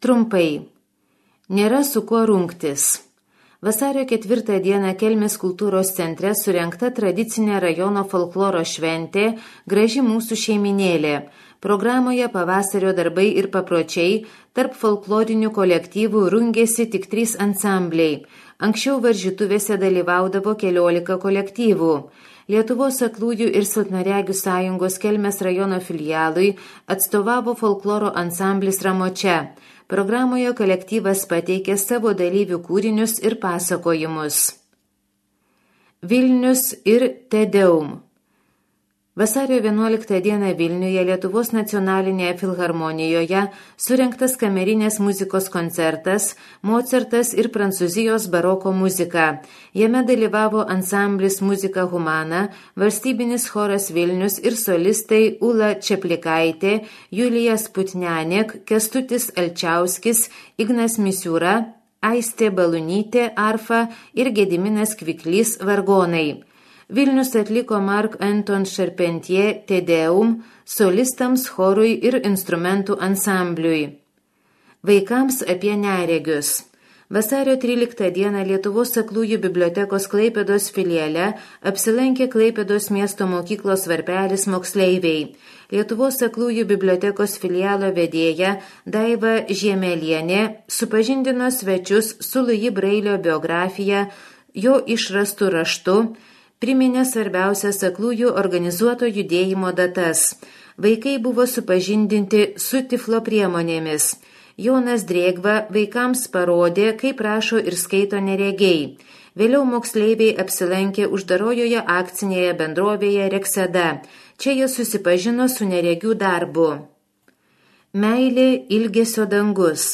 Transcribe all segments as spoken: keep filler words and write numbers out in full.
Trumpai. Nėra su kuo rungtis. Vasario ketvirtą dieną Kelmės kultūros centre surengta tradicinė rajono folkloro šventė Graži mūsų šeiminėlė. Programoje pavasario darbai ir papročiai, tarp folklorinių kolektyvų rungėsi tik trys ansambliai. Anksčiau varžytuvėse dalyvaudavo keliolika kolektyvų. Lietuvos aklųjų ir silpnaregių sąjungos Kelmės rajono filialui atstovavo folkloro ansamblis Ramočia. Programoje kolektyvas pateikė savo dalyvių kūrinius ir pasakojimus. Vilnius ir Te Deum. Vasario vienuoliktą dieną Vilniuje Lietuvos nacionalinėje filharmonijoje surengtas kamerinės muzikos koncertas Mocartas ir Prancūzijos baroko muzika. Jame dalyvavo ansamblis Muzika Humana, valstybinis choras Vilnius ir solistai Ula Čeplikaitė, Julija Sputnianek, Kestutis Alčiauskis, Ignas Misiūra, Aistė Balunytė arfa ir Gediminas Kviklys vargonai. Vilnius atliko Mark Anton Charpentier Te Deum solistams, chorui ir instrumentų ansambliui. Vaikams apie neregius. Vasario tryliktą dieną Lietuvos aklųjų bibliotekos Klaipėdos filiale apsilankė Klaipėdos miesto mokyklos Varpelis moksleiviai. Lietuvos aklųjų bibliotekos filialo vedėja Daiva Žiemelienė supažindino svečius su Luji Brailio biografija, jo išrastu raštu, priminė svarbiausias aklųjų organizuoto judėjimo datas. Vaikai buvo supažindinti su tiflo priemonėmis. Jonas Drėgva vaikams parodė, kaip rašo ir skaito neregiai. Vėliau moksleiviai apsilankė uždarojoje akcinėje bendrovėje Rekseda. Čia jie susipažino su neregių darbu. Meilė ilgesio dangus.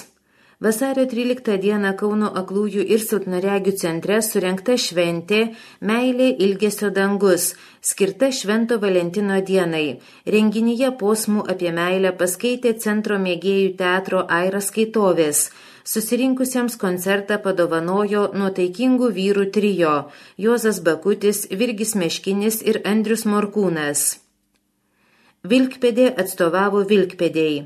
Vasario tryliktą dieną Kauno aklųjų ir silpnaregių centre surengta šventė Meilė ilgesio dangus, skirta Švento Valentino dienai. Renginyje posmų apie meilę paskaitė centro mėgėjų teatro Aira skaitovės. Susirinkusiems koncertą padovanojo nuotaikingų vyrų trio Juozas Bakutis, Virgis Meškinis ir Andrius Morkūnas. Vilkpėdė atstovavo Vilkpėdėjai.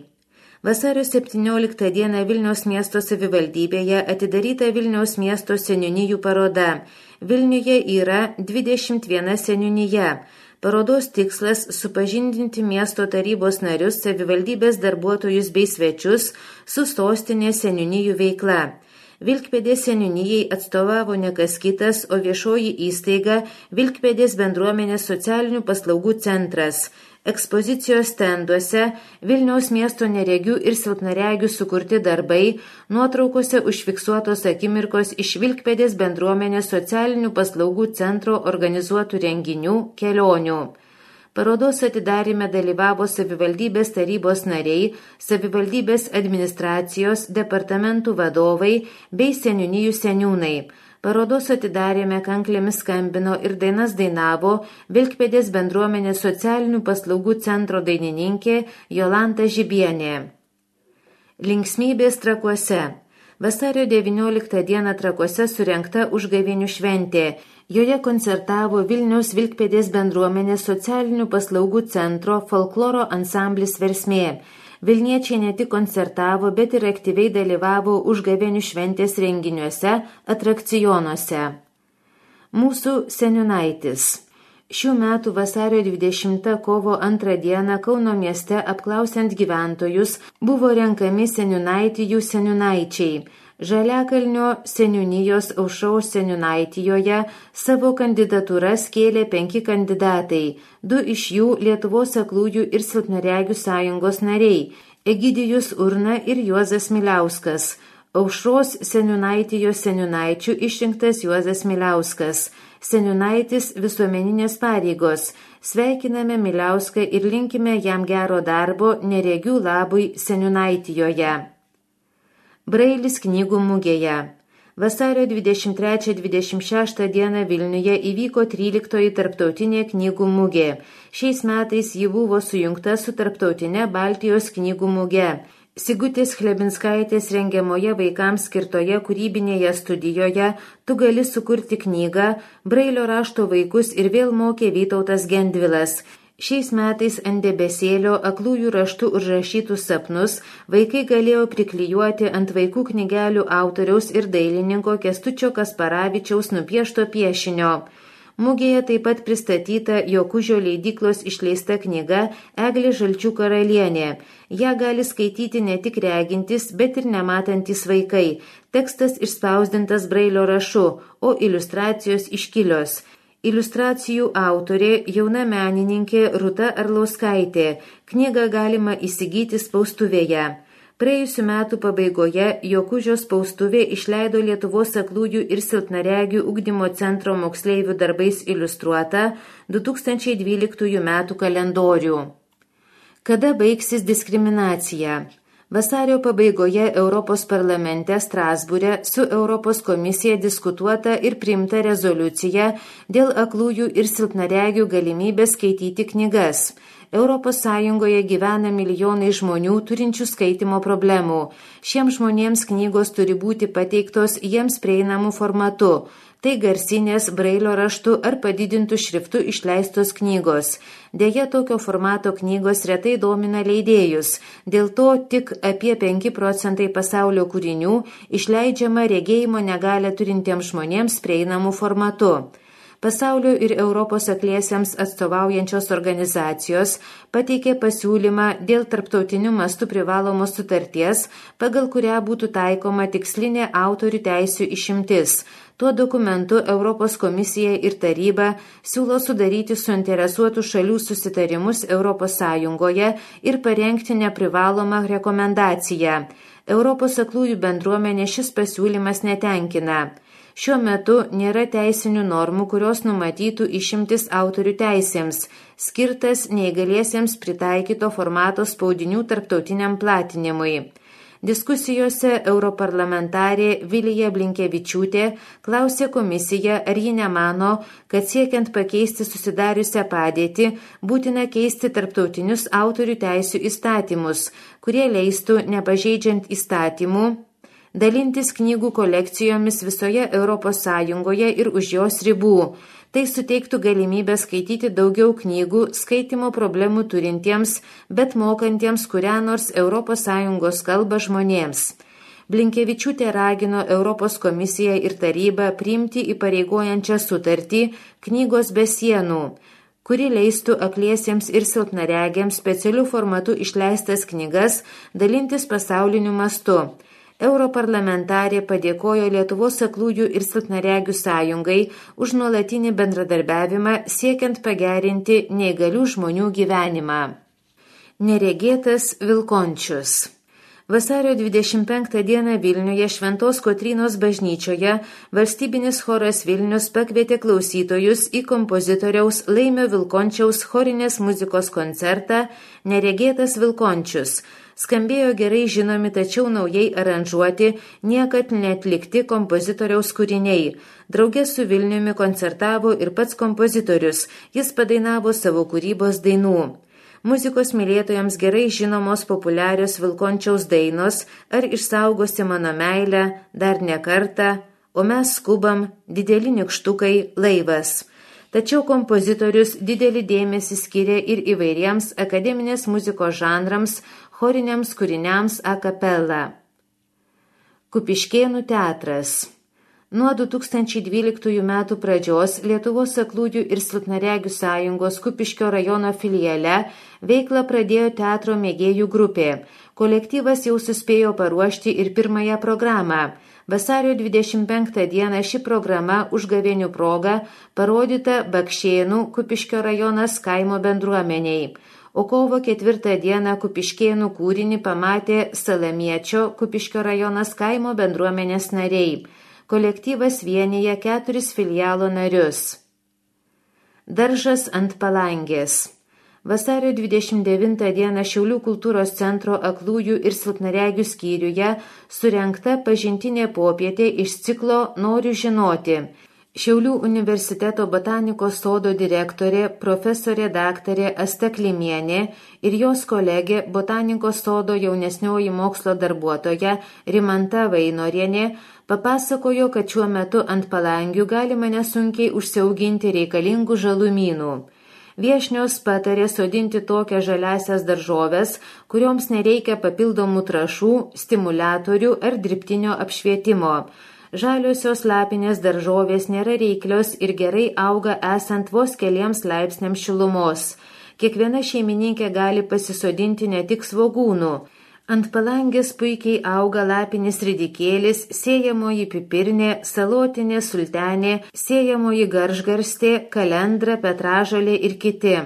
Vasario septynioliktą dieną Vilniaus miesto savivaldybėje atidaryta Vilniaus miesto seniūnijų paroda. Vilniuje yra dvidešimt viena seniūnija. Parodos tikslas supažindinti miesto tarybos narius, savivaldybės darbuotojus bei svečius su sostinės seniūnijų veikla. Vilkpėdės seniūnijai atstovavo ne kas kitas, o viešoji įstaiga Vilkpėdės bendruomenės socialinių paslaugų centras. Ekspozicijos stenduose Vilniaus miesto neregių ir silpnaregių sukurti darbai, nuotraukose užfiksuotos akimirkos iš Vilkpėdės bendruomenės socialinių paslaugų centro organizuotų renginių, kelionių. Parodos atidaryme dalyvavo savivaldybės tarybos nariai, savivaldybės administracijos, departamentų vadovai bei seniūnijų seniūnai. Parodos atidarėme kanklėmis skambino ir dainas dainavo Vilkpėdės bendruomenės socialinių paslaugų centro dainininkė Jolanta Žibienė. Linksmybės Trakuose. Vasario devynioliktą dieną Trakuose surengta užgavėnių šventė. Joje koncertavo Vilniaus Vilkpėdės bendruomenės socialinių paslaugų centro folkloro ansamblis Versmė. Vilniečiai ne tik koncertavo, bet ir aktyviai dalyvavo užgavėnių šventės renginiuose, atrakcionuose. Mūsų seniūnaitis. Šių metų vasario dvidešimtą kovo antrą dieną Kauno mieste apklausiant gyventojus buvo renkami seniūnaitijų seniūnaičiai. Žaliakalnio seniūnijos Aušros seniūnaitijoje savo kandidatūras kėlė penki kandidatai, du iš jų Lietuvos aklųjų ir silpnaregių sąjungos nariai – Egidijus Urna ir Juozas Miliauskas. Aušros seniūnaitijos seniūnaičių išrinktas Juozas Miliauskas. Seniūnaitis visuomeninės pareigos. Sveikiname Miliauską ir linkime jam gero darbo neregių labui seniūnaitijoje. Brailis knygų mugėje. Vasario dvidešimt trečią - dvidešimt šeštą dieną Vilniuje įvyko tryliktoji tarptautinė knygų mugė. Šiais metais ji buvo sujungta su tarptautinė Baltijos knygų muge. Sigutės Chlebinskaitės rengiamoje vaikams skirtoje kūrybinėje studijoje Tu gali sukurti knygą Brailio rašto vaikus ir vėl mokė Vytautas Gendvilas. Šiais metais ant debesėlio aklųjų raštų užrašytus sapnus vaikai galėjo priklijuoti ant vaikų knygelių autoriaus ir dailininko Kęstučio Kasparavičiaus nupiešto piešinio. Mugėje taip pat pristatyta Jokužio leidyklos išleista knyga Eglė žalčių karalienė. Ja gali skaityti ne tik regintis, bet ir nematantis vaikai. Tekstas išspausdintas brailio rašu, o iliustracijos iškilios. Iliustracijų autorė jauna menininkė Rūta Arlauskaitė. Knygą galima įsigyti spaustuvėje. Praėjusių metų pabaigoje Jokužio spaustuvė išleido Lietuvos aklųjų ir silpnaregių ugdymo centro moksleivių darbais iliustruotą du tūkstančiai dvyliktųjų metų kalendorių. Kada baigsis diskriminacija? Vasario pabaigoje Europos parlamente Strasbūre su Europos komisija diskutuota ir priimta rezoliucija dėl aklųjų ir silpnaregių galimybės skaityti knygas. Europos Sąjungoje gyvena milijonai žmonių turinčių skaitimo problemų. Šiems žmonėms knygos turi būti pateiktos jiems prieinamų formatu. Tai garsinės, brailio raštu ar padidintų šriftų išleistos knygos. Deja, tokio formato knygos retai domina leidėjus. Dėl to tik apie penki procentai pasaulio kūrinių išleidžiama regėjimo negalią turintiems žmonėms prieinamų formatu. Pasaulio ir Europos akliesiems atstovaujančios organizacijos pateikė pasiūlymą dėl tarptautinių mastų privalomos sutarties, pagal kurią būtų taikoma tikslinė autorių teisių išimtis. Tuo dokumentu Europos komisija ir taryba siūlo sudaryti suinteresuotų šalių susitarimus Europos Sąjungoje ir parengti neprivalomą rekomendaciją. Europos aklųjų bendruomenė šis pasiūlymas netenkina. Šiuo metu nėra teisinių normų, kurios numatytų išimtis autorių teisėms, skirtas neįgaliesiems pritaikyto formato spaudinių tarptautiniam platinimui. Diskusijose europarlamentarė Vilija Blinkevičiūtė klausė komisiją, ar ji nemano, kad siekiant pakeisti susidariusią padėtį, būtina keisti tarptautinius autorių teisių įstatymus, kurie leistų, nepažeidžiant įstatymų, dalintis knygų kolekcijomis visoje Europos Sąjungoje ir už jos ribų. Tai suteiktų galimybę skaityti daugiau knygų skaitimo problemų turintiems, bet mokantiems kurią nors Europos Sąjungos kalbą žmonėms. Blinkevičiūtė ragino Europos komisiją ir tarybą priimti įpareigojančią sutartį Knygos be sienų, kuri leistų akliesiems ir silpnaregiams specialių formatų išleistas knygas dalintis pasauliniu mastu. Europarlamentarė padėkojo Lietuvos aklųjų ir silpnaregių sąjungai už nuolatinį bendradarbiavimą siekiant pagerinti neįgalių žmonių gyvenimą. Neregėtas Vilkončius. Vasario dvidešimt penktą dieną Vilniuje Šventos Kotrynos bažnyčioje valstybinis choras Vilnius pakvietė klausytojus į kompozitoriaus Laimio Vilkončiaus chorinės muzikos koncertą Neregėtas Vilkončius. Skambėjo gerai žinomi, tačiau naujai aranžuoti, niekad neatlikti kompozitoriaus kūriniai. Drauge su Vilniumi koncertavo ir pats kompozitorius, jis padainavo savo kūrybos dainų. Muzikos mylėtojams gerai žinomos populiarios Vilkončiaus dainos Ar išsaugosi mano meilę, Dar ne kartą, O mes skubam, Dideli nykštukai, Laivas. Tačiau kompozitorius didelį dėmesį skiria ir įvairiems akademinės muzikos žanrams, choriniams kūriniams a capella. Kupiškėnų teatras. Nuo du tūkstančiai dvyliktųjų metų pradžios Lietuvos aklųjų ir silpnaregių sąjungos Kupiškio rajono filiale veiklą pradėjo teatro mėgėjų grupė. Kolektyvas jau suspėjo paruošti ir pirmąją programą. Vasario dvidešimt penktą dieną ši programa užgavėnių proga parodyta Bakšėnų Kupiškio rajonas kaimo bendruomeniai. O kovo ketvirtą dieną Kupiškėnų kūrinį pamatė Salamiečio Kupiškio rajonas kaimo bendruomenės nariai. Kolektyvas vienyje keturis filialo narius. Daržas ant palangės. Vasario dvidešimt devintą dieną Šiaulių kultūros centro aklųjų ir silpnaregių skyriuje surengta pažintinė popietė iš ciklo Noriu žinoti. Šiaulių universiteto botanikos sodo direktorė profesorė daktarė Asta Klimienė ir jos kolegė botanikos sodo jaunesnioji mokslo darbuotoja Rimanta Vainorienė papasakojo, kad šiuo metu ant palangių galima nesunkiai užsiauginti reikalingų žalumynų. Viešnios patarė sodinti tokias žaliasias daržoves, kurioms nereikia papildomų trąšų, stimuliatorių ar dirbtinio apšvietimo. Žaliosios lapinės daržovės nėra reiklios ir gerai auga esant vos keliems laipsniams šilumos. Kiekviena šeimininkė gali pasisodinti ne tik svogūnų. Ant palangės puikiai auga lapinis ridikėlis, sėjamoji pipirnė, salotinė sultenė, sėjamoji garžgarstė, kalendra, petražolė ir kiti.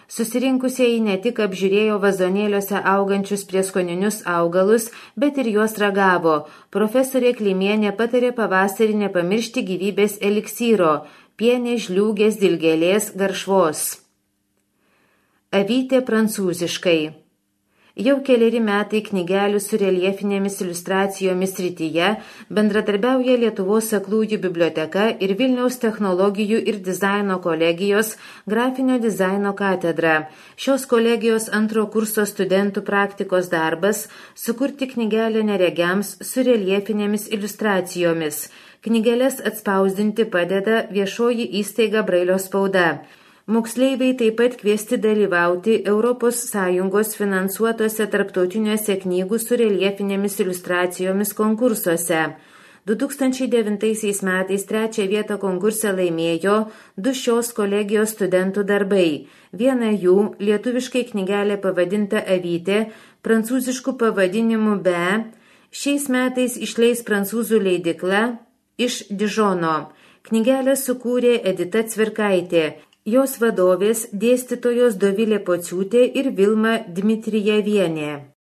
Susirinkusieji ne tik apžiūrėjo vazonėliuose augančius prieskoninius augalus, bet ir juos ragavo. Profesorė Klimienė patarė pavasarį nepamiršti gyvybės eliksyro – pienės, žliūgės, dilgėlės, garšvos. Avytė prancūziškai. Jau keleri metai knygelių su reljefinėmis iliustracijomis srityje bendradarbiauja Lietuvos aklųjų biblioteka ir Vilniaus technologijų ir dizaino kolegijos grafinio dizaino katedra. Šios kolegijos antro kurso studentų praktikos darbas – sukurti knygelę neregiams su reljefinėmis iliustracijomis. Knygeles atspausdinti padeda viešoji įstaiga Brailio spauda. Moksleiviai taip pat kviesti dalyvauti Europos Sąjungos finansuotose tarptautiniuose knygų su reljefinėmis iliustracijomis konkursuose. du tūkstančiai devintaisiais metais trečią vietą konkurse laimėjo du šios kolegijos studentų darbai. Viena jų, lietuviškai knygelė pavadinta Avytė, prancūziškų pavadinimų Be, šiais metais išleis prancūzų leidykla iš Dižono. Knygelę sukūrė Edita Cvirkaitė. Jos vadovės dėstytojos Dovilė Pociūtė ir Vilma Dmitrijevienė.